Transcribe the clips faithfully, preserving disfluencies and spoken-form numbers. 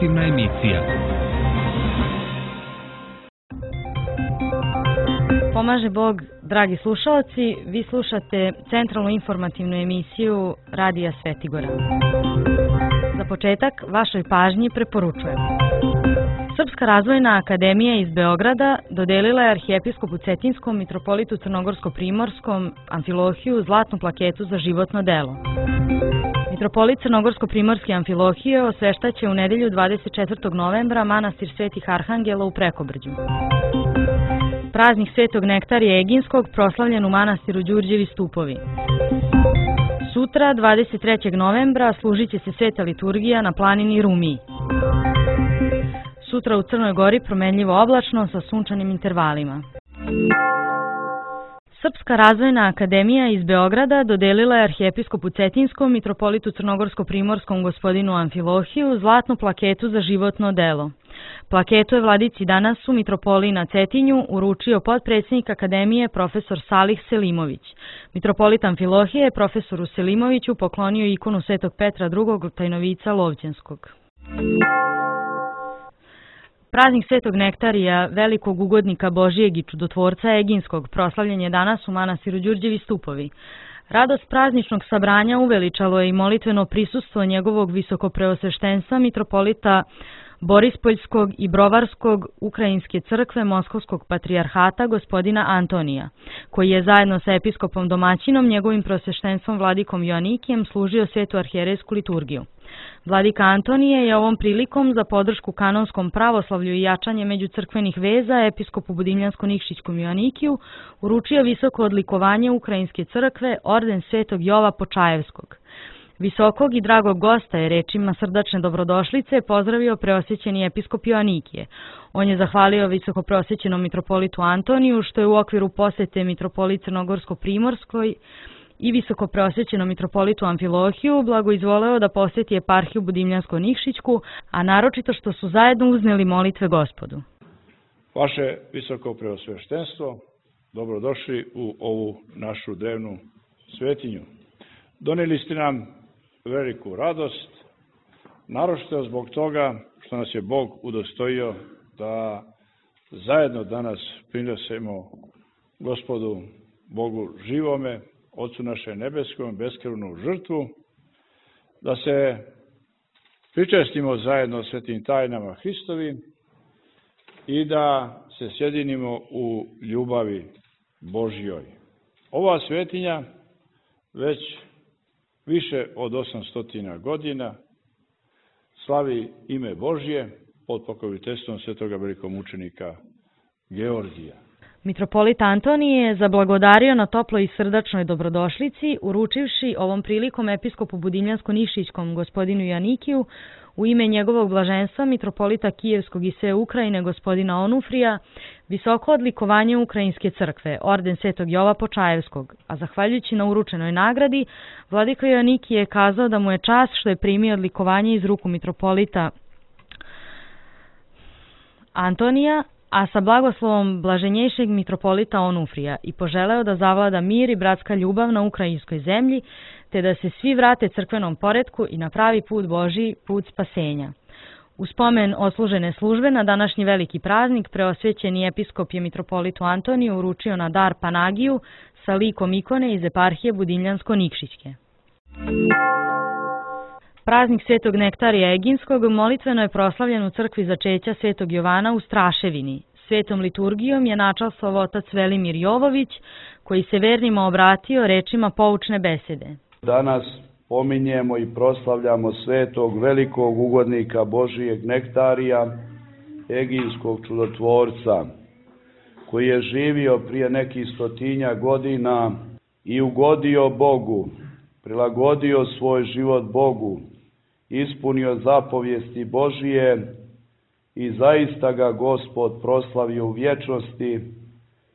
informativna emisija. Pomaže Bog, dragi slušalci, vi slušate centralnu informativnu emisiju Radija Svetigora. Za početak, vašoj pažnji preporučujem. Srpska razvojna akademija iz Beograda dodelila je arhijepiskopu Cetinskom, mitropolitu Crnogorsko-Primorskom Amfilohiju zlatnu plaketu za životno delo. Mitropolit Crnogorsko-Primorski Amfilohije osveštaće u nedelju dvadeset četvrtog novembra manastir Svetih Arhangela u Prekobrđu. Praznik Svetog Nektarija Eginskog proslavljen u manastiru Đurđevi stupovi. Sutra, dvadeset trećeg novembra, služit će se sveta liturgija na planini Rumiji. Sutra u Crnoj Gori promenljivo oblačno sa sunčanim intervalima. Srpska razvojna akademija iz Beograda dodelila je arhijepiskopu Cetinskom, mitropolitu Crnogorsko-Primorskom gospodinu Amfilohiju zlatnu plaketu za životno delo. Plaketu je vladici danas u mitropoliji na Cetinju uručio potpredsjednik akademije profesor Salih Selimović. Mitropolit Amfilohije je profesoru Selimoviću poklonio ikonu Svetog Petra drugog tajnovica Lovćenskog. Praznik Svetog Nektarija, velikog ugodnika Božijeg i čudotvorca Eginskog, proslavljen je danas u manastiru Đurđevi stupovi. Radost prazničnog sabranja uveličalo je i molitveno prisustvo njegovog visokopreosveštenstva mitropolita Borispoljskog i Brovarskog Ukrajinske crkve Moskovskog patrijarhata gospodina Antonija, koji je zajedno sa episkopom domaćinom, njegovim preosveštenstvom vladikom Joanikijem, služio svetu arhijerejsku liturgiju. Vladika Antonije je ovom prilikom za podršku kanonskom pravoslavlju i jačanje međucrkvenih veza episkopu Budimljansko-Nikšićkom Joanikiju uručio visoko odlikovanje Ukrajinske crkve orden Svetog Jova Počajevskog. Visokog i dragog gosta je rečima srdačne dobrodošlice pozdravio preosvećeni episkop Joanikije. On je zahvalio visoko preosvećenom mitropolitu Antoniju što je u okviru posete mitropolit Crnogorsko-Primorskoj i visoko preosvećenom mitropolitu Amfilohiju blagoizvoleo da posjeti eparhiju Budimljansko-Nikšićku, a naročito što su zajedno uzneli molitve Gospodu. Vaše visoko preosveštenstvo, dobrodošli u ovu našu drevnu svetinju. Donijeli ste nam veliku radost, naročito zbog toga što nas je Bog udostojio da zajedno danas prinesemo Gospodu Bogu živome, Otcu naše nebeskom, beskrvnu žrtvu, da se pričestimo zajedno svetim tajnama Hristovim i da se sjedinimo u ljubavi Božjoj. Ova svetinja već više od osamsto godina slavi ime Božje pod pokroviteljstvom svetoga velikomučenika Georgija. Mitropolit Antonije je zablagodario na toploj i srdačnoj dobrodošlici, uručivši ovom prilikom episkopu Budimljansko-Nikšićkom gospodinu Joanikiju u ime njegovog blaženstva mitropolita Kijevskog i sve Ukrajine gospodina Onufrija visoko odlikovanje Ukrajinske crkve, orden Svetog Jova Počajevskog, a zahvaljujući na uručenoj nagradi, vladika Joanikije je kazao da mu je čast što je primio odlikovanje iz ruku mitropolita Antonija, a sa blagoslovom blaženjejšeg mitropolita Onufrija i poželeo da zavlada mir i bratska ljubav na ukrajinskoj zemlji, te da se svi vrate crkvenom poretku i na pravi put Božji, put spasenja. U spomen odslužene službe na današnji veliki praznik preosvećeni episkop je mitropolitu Antoniju uručio na dar Panagiju sa likom ikone iz eparhije Budimljansko-Nikšićke. Praznik Svetog Nektarija Eginskog molitveno je proslavljen u crkvi začeća Svetog Jovana u Straševini. Svetom liturgijom je načastvovao otac Velimir Jovović, koji se vernima obratio rečima poučne besede. Danas pominjemo i proslavljamo svetog velikog ugodnika Božijeg Nektarija, Eginskog čudotvorca, koji je živio prije nekih stotinja godina i ugodio Bogu, prilagodio svoj život Bogu, ispunio zapovijesti Božije i zaista ga Gospod proslavio u vječnosti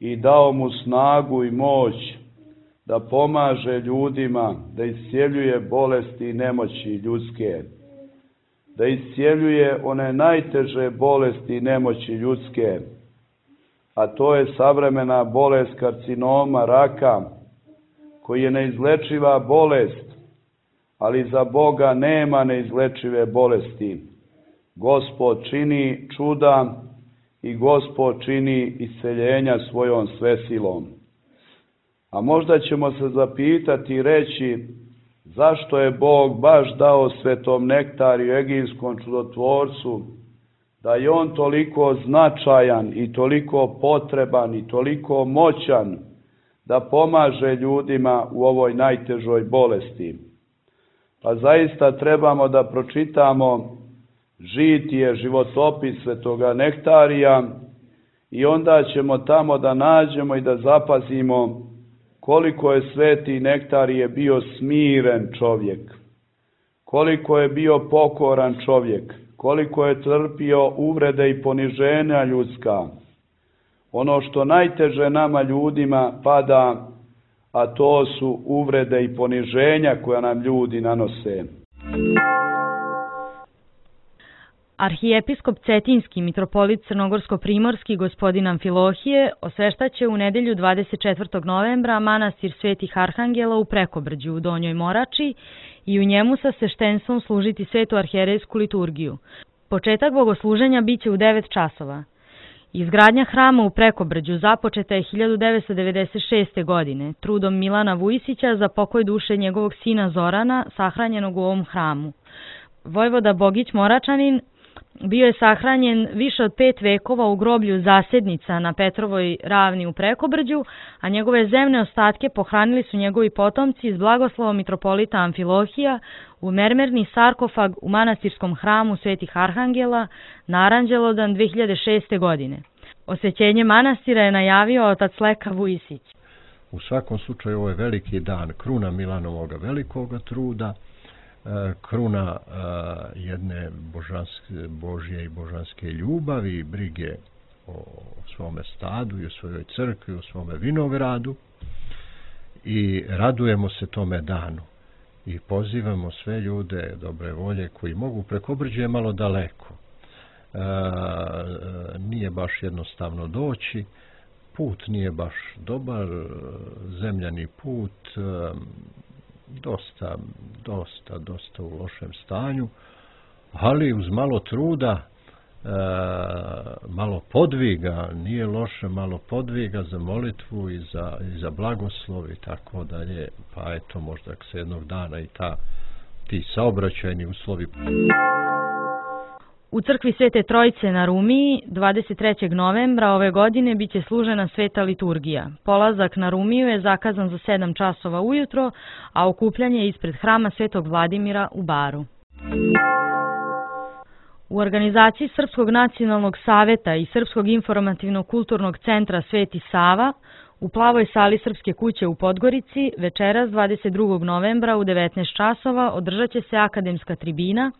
i dao mu snagu i moć da pomaže ljudima, da iscijeljuje bolesti i nemoći ljudske, da iscijeljuje one najteže bolesti i nemoći ljudske, a to je savremena bolest karcinoma, raka, koji je neizlečiva bolest, ali za Boga nema neizlečive bolesti. Gospod čini čuda i Gospod čini isceljenja svojom svesilom. A možda ćemo se zapitati i reći zašto je Bog baš dao svetom Nektariju, Eginskom čudotvorcu, da je on toliko značajan i toliko potreban i toliko moćan da pomaže ljudima u ovoj najtežoj bolesti. Pa zaista trebamo da pročitamo žitije, životopis svetoga Nektarija i onda ćemo tamo da nađemo i da zapazimo koliko je sveti Nektarije bio smiren čovjek, koliko je bio pokoran čovjek, koliko je trpio uvrede i poniženja ljudska. Ono što najteže nama ljudima pada, a to su uvrede i poniženja koja nam ljudi nanose. Arhijepiskop Cetinski, mitropolit Crnogorsko-primorski, gospodin Amfilohije, osveštaće u nedelju dvadeset četvrtog novembra manastir Svetih Arhangela u Prekobrđu u Donjoj Morači i u njemu sa sveštenstvom služiti svetu arhijerejsku liturgiju. Početak bogosluženja biće u devet časova. Izgradnja hrama u Prekobrđu započeta je hiljadu devetsto devedeset šeste. godine trudom Milana Vujisića za pokoj duše njegovog sina Zorana, sahranjenog u ovom hramu. Vojvoda Bogić Moračanin bio je sahranjen više od pet vekova u groblju Zasednica na Petrovoj ravni u Prekobrđu, a njegove zemne ostatke pohranili su njegovi potomci iz blagoslovom mitropolita Amfilohija u mermerni sarkofag u manastirskom hramu Svetih Arhangela na Aranđelodan dve hiljade šeste. godine. Osvećenje manastira je najavio otac Leka Vujisić. U svakom slučaju ovo je veliki dan, kruna Milanovoga velikoga truda, kruna jedne božanske, Božje i božanske ljubavi i brige o svome stadu i o svojoj crkvi, o svome vinogradu i radujemo se tome danu i pozivamo sve ljude dobre volje koji mogu. Prekobrđe je malo daleko, e, nije baš jednostavno doći, put nije baš dobar, zemljani put, dosta, dosta, dosta u lošem stanju, ali uz malo truda, e, malo podviga, nije loše, malo podviga za molitvu i za, i za blagoslov i tako dalje, pa eto možda se jednog dana i ta, ti saobraćajni uslovi. U crkvi Svete Trojice na Rumiji dvadeset trećeg novembra ove godine biće služena sveta liturgija. Polazak na Rumiju je zakazan za sedam časova ujutro, a okupljanje ispred hrama Svetog Vladimira u Baru. U organizaciji Srpskog nacionalnog saveta i Srpskog informativno-kulturnog centra Sveti Sava u plavoj sali Srpske kuće u Podgorici večeras dvadeset drugog novembra u devetnaest časova održat će se akademska tribina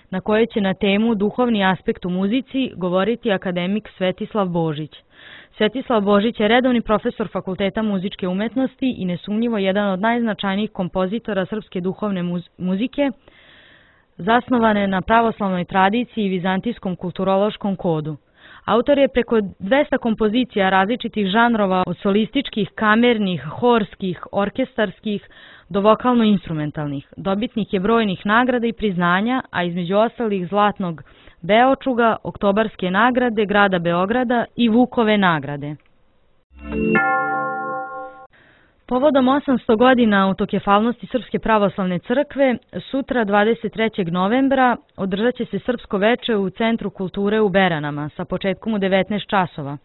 na kojoj će na temu duhovni aspekt u muzici govoriti akademik Svetislav Božić. Svetislav Božić je redovni profesor Fakulteta muzičke umetnosti i nesumnjivo jedan od najznačajnijih kompozitora srpske duhovne muzike, zasnovane na pravoslavnoj tradiciji i vizantijskom kulturološkom kodu. Autor je preko dvesta kompozicija različitih žanrova od solističkih, kamernih, horskih, orkestarskih do vokalno-instrumentalnih. Dobitnik je brojnih nagrada i priznanja, a između ostalih Zlatnog Beočuga, Oktobarske nagrade grada Beograda i Vukove nagrade. Povodom osamsto godina autokefalnosti Srpske pravoslavne crkve, sutra dvadeset trećeg novembra održat će se Srpsko veče u Centru kulture u Beranama sa početkom u devetnaest časova.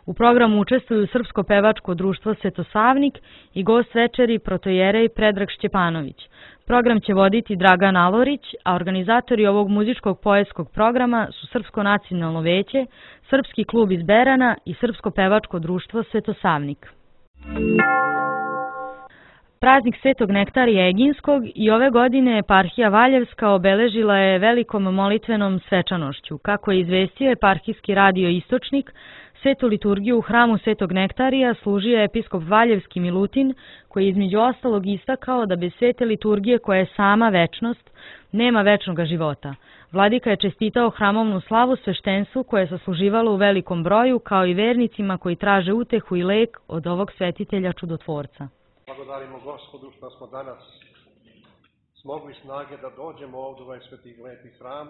U programu učestvuju Srpsko pevačko društvo Svetosavnik i gost večeri protojerej Predrag Šćepanović. Program će voditi Dragan Alorić, a organizatori ovog muzičkog poetskog programa su Srpsko nacionalno veće, Srpski klub iz Berana i Srpsko pevačko društvo Svetosavnik. Praznik Svetog Nektarija Eginskog i ove godine eparhija Valjevska obeležila je velikom molitvenom svečanošću. Kako je izvestio eparhijski radio Istočnik, svetu liturgiju u hramu Svetog Nektarija služio je episkop Valjevski Milutin, koji je između ostalog istakao da bez svete liturgije koja je sama večnost, nema večnog života. Vladika je čestitao hramovnu slavu sveštenstvu koje je sasluživalo u velikom broju, kao i vernicima koji traže utehu i lek od ovog svetitelja čudotvorca. Blagodarimo Gospodu što smo danas smogli snage da dođemo ovdje u ovaj sveti lepi hram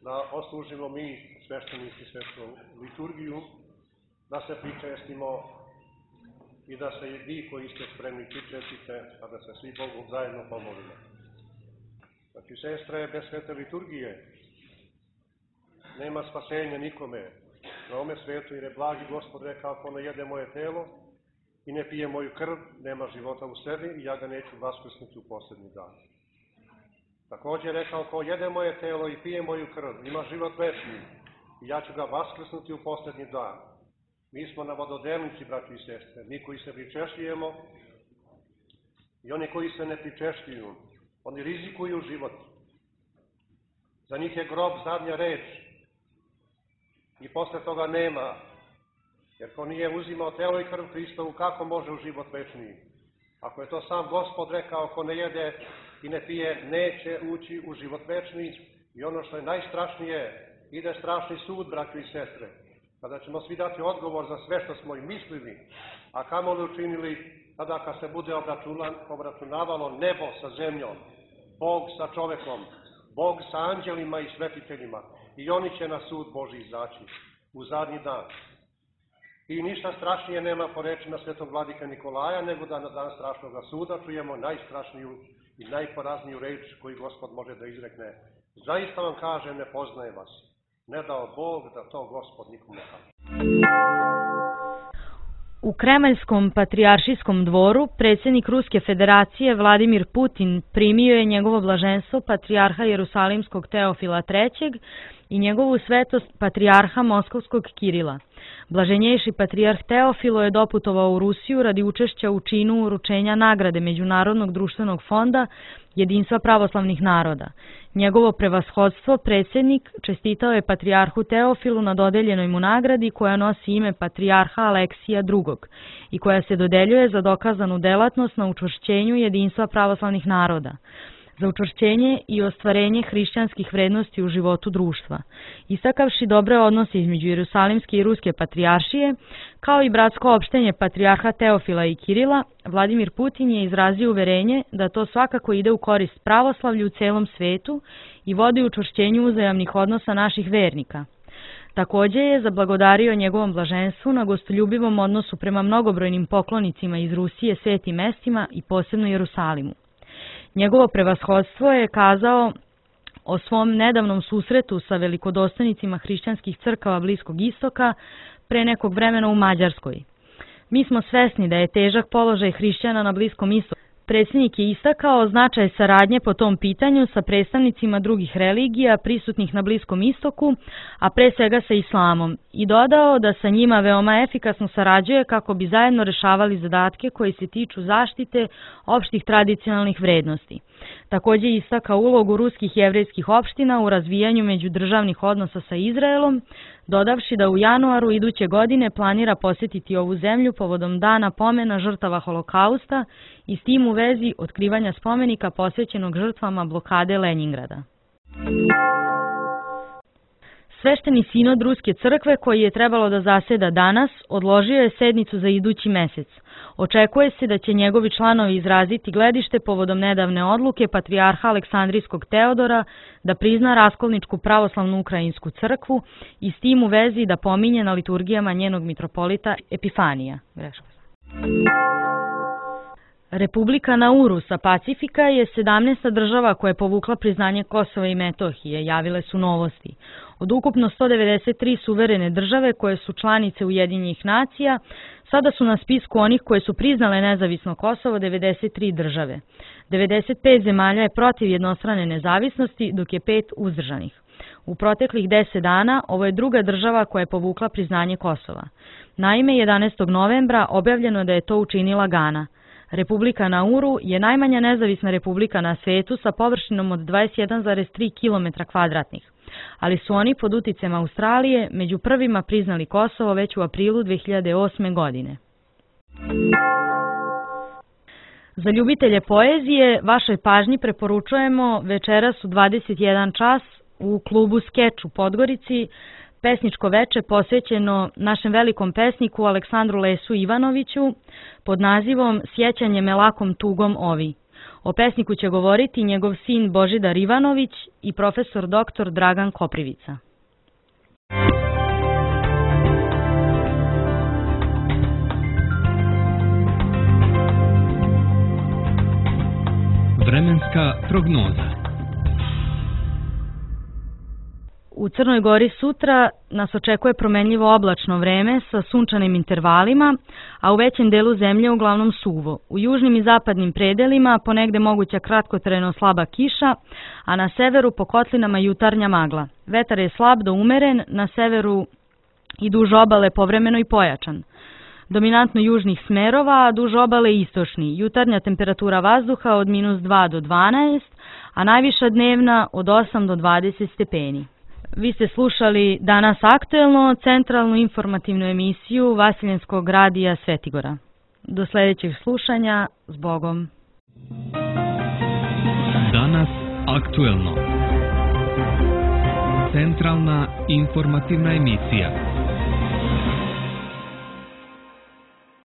da oslužimo mi sveštenici svetu liturgiju, da se pričestimo i da se i vi koji ste spremni pričestite, a da se svi Bogu zajedno pomolimo. Znači, sestre, bez svete liturgije nema spasenja nikome na ome svetu, jer je blagi Gospod rekao, ako ne jede moje telo i ne pije moju krv, nema života u sebi i ja ga neću vaskrsnuti u posljednji dan. Također je rekao, ko jede moje telo i pije moju krv, ima život večni i ja ću ga vaskrsnuti u posljednji dan. Mi smo na vododelnici, braći i sestre, mi koji se pričešljujemo i oni koji se ne pričešljuju, oni rizikuju život. Za njih je grob zadnja reč i posle toga nema. Jer ko nije uzimao telo i krv Hristovu, kako može u život večni? Ako je to sam Gospod rekao, ko ne jede i ne pije, neće ući u život večni. I ono što je najstrašnije, ide strašni sud, braći i sestre, kada ćemo svi dati odgovor za sve što smo i mislili, a kamoli učinili, tada kad se bude obračunavalo nebo sa zemljom, Bog sa čovekom, Bog sa anđelima i svetiteljima, i oni će na sud Božji izaći u zadnji dan. I ništa strašnije nema po rečima svetog vladika Nikolaja, nego da na dan strašnog suda čujemo najstrašniju i najporazniju reč koju Gospod može da izrekne. Zaista vam kaže, ne poznaje vas. Ne dao Bog da to Gospod nikom ne kaže. U Kremaljskom patrijaršijskom dvoru predsjednik Ruske federacije Vladimir Putin primio je njegovo blaženstvo patrijarha Jerusalimskog Teofila trećeg i njegovu svetost patrijarha Moskovskog Kirila. Blaženjejši patrijarh Teofilo je doputovao u Rusiju radi učešća u činu uručenja nagrade Međunarodnog društvenog fonda Jedinstva pravoslavnih naroda. Njegovo prevashodstvo, predsjednik, čestitao je patrijarhu Teofilu na dodeljenoj mu nagradi koja nosi ime patrijarha Aleksija drugog i koja se dodeljuje za dokazanu delatnost na učvršćenju jedinstva pravoslavnih naroda, za učvršćenje i ostvarenje hrišćanskih vrednosti u životu društva. Istakavši dobre odnose između Jerusalimske i Ruske patrijaršije, kao i bratsko opštenje patrijarha Teofila i Kirila, Vladimir Putin je izrazio uverenje da to svakako ide u korist pravoslavlju u celom svetu i vodi učvršćenju uzajamnih odnosa naših vernika. Također je zablagodario njegovom blaženstvu na gostoljubivom odnosu prema mnogobrojnim poklonicima iz Rusije, svetim mestima i posebno Jerusalimu. Njegovo prevashodstvo je kazao o svom nedavnom susretu sa velikodostojnicima hrišćanskih crkava Bliskog istoka pre nekog vremena u Mađarskoj. Mi smo svesni da je težak položaj hrišćana na Bliskom istoku. Predsjednik je istakao značaj saradnje po tom pitanju sa predstavnicima drugih religija prisutnih na Bliskom istoku, a pre svega sa islamom, i dodao da sa njima veoma efikasno sarađuje kako bi zajedno rešavali zadatke koji se tiču zaštite opštih tradicionalnih vrednosti. Također je istakao ulogu ruskih jevrejskih opština u razvijanju međudržavnih odnosa sa Izraelom, dodavši da u januaru iduće godine planira posjetiti ovu zemlju povodom dana pomena žrtava Holokausta i s tim u vezi otkrivanja spomenika posvećenog žrtvama blokade Lenjingrada. Svešteni sinod Ruske crkve, koji je trebalo da zaseda danas, odložio je sednicu za idući mesec. Očekuje se da će njegovi članovi izraziti gledište povodom nedavne odluke patrijarha Aleksandrijskog Teodora da prizna raskolničku pravoslavnu ukrajinsku crkvu i s tim u vezi da pominje na liturgijama njenog mitropolita Epifanija. Republika Nauru sa Pacifika je sedamnaesta država koja je povukla priznanje Kosova i Metohije, javile su Novosti. Od ukupno sto devedeset tri suverene države koje su članice Ujedinjenih nacija, sada su na spisku onih koje su priznale nezavisno Kosovo devedeset tri države. devedeset pet zemalja je protiv jednostrane nezavisnosti, dok je pet uzdržanih. U proteklih deset dana ovo je druga država koja je povukla priznanje Kosova. Naime, jedanaestog novembra objavljeno da je to učinila Gana. Republika Nauru je najmanja nezavisna republika na svetu sa površinom od dvadeset jedan zarez tri kilometra kvadratnih, ali su oni pod uticajem Australije među prvima priznali Kosovo već u aprilu dve hiljade osme. godine. Za ljubitelje poezije vašoj pažnji preporučujemo večeras u dvadeset jedan čas u klubu Skeč u Podgorici pesničko veče posvećeno našem velikom pesniku Aleksandru Lesu Ivanoviću pod nazivom Sjećanje me lakom tugom ovi. O pesniku će govoriti njegov sin Božidar Ivanović i profesor doktor Dragan Koprivica. Vremenska prognoza. U Crnoj Gori sutra nas očekuje promenljivo oblačno vreme sa sunčanim intervalima, a u većem delu zemlje uglavnom suvo. U južnim i zapadnim predelima ponegde moguća kratkotrajno slaba kiša, a na severu po kotlinama jutarnja magla. Vetar je slab do umeren, na severu i duž obale povremeno i pojačan. Dominantno južnih smerova, a duž obale istočni. Jutarnja temperatura vazduha od minus dva do dvanaest, a najviša dnevna od osam do dvadeset stepeni. Vi ste slušali Danas aktuelno, centralnu informativnu emisiju Vasiljenskog radija Svetigora. Do sljedećeg slušanja, s Bogom. Danas aktuelno. Centralna informativna emisija.